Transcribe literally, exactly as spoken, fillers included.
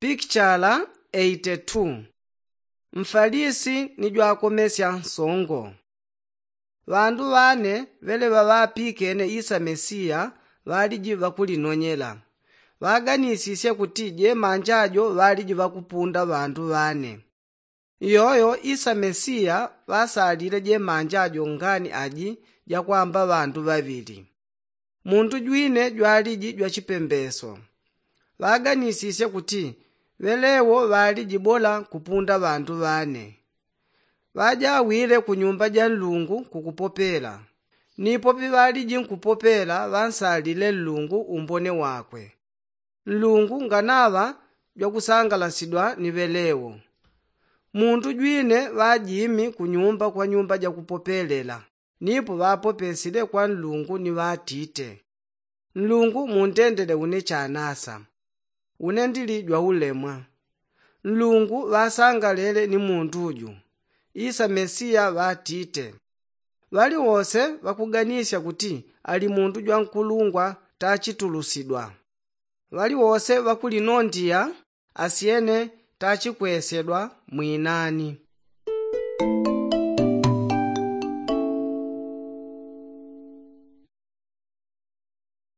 Pikichala eite tu. Mfalisi ni jwakomesya nsongo. Ŵandu ŵane ŵele ŵaŵapikene isa mesiya ŵaliji ŵakulinonyela. Ŵaganisisye kuti jemanja jo ŵaliji ŵakupunda ŵandu ŵane. Iyoyo isa mesiya ŵasalile jemanja jo ngani aji jakwamba ŵandu ŵaŵili. Muntu jwine jwaliji jwachipembeso. Ŵaganisisye kuti ŵelewo ŵaliji bola kupunda ŵandu ŵane. Ŵajawile kunyumba ja nlungu kukupopela. Nipo piŵaliji nkupopela ŵansalile nlungu umbone wakwe. Nlungu nganaŵa jwakusangalasidwa ni ŵelewo. Muntu jwine ŵajimi kunyumba kwa nyumba jakupopelela. Nipo ŵapopesile kwa nlungu ni ŵatite, nlungu muntendele une chanasa. Une ndili jwaulemwa. Nlungu ŵasangalele ni muntu ju. Isa mesiya ŵatite. Ŵaliwose ŵakuganisya kuti ali muntu jwankulungwa tachitulusidwa. Ŵaliwose ŵakulinondiya asyene tachikwesedwa mwinani.